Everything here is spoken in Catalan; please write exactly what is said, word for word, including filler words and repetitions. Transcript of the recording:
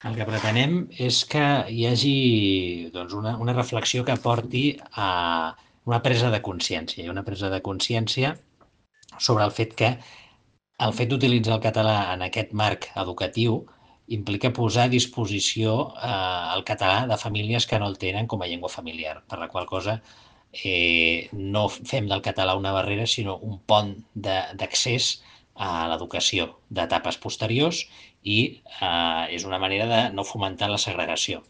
El que pretenem és que hi hagi doncs, una, una reflexió que porti a una presa de consciència, i una presa de consciència sobre el fet que el fet d'utilitzar el català en aquest marc educatiu implica posar a disposició eh, el català de famílies que no el tenen com a llengua familiar, per la qual cosa eh, no fem del català una barrera, sinó un pont d'accés a l'educació d'etapes posteriors i eh, és una manera de no fomentar la segregació.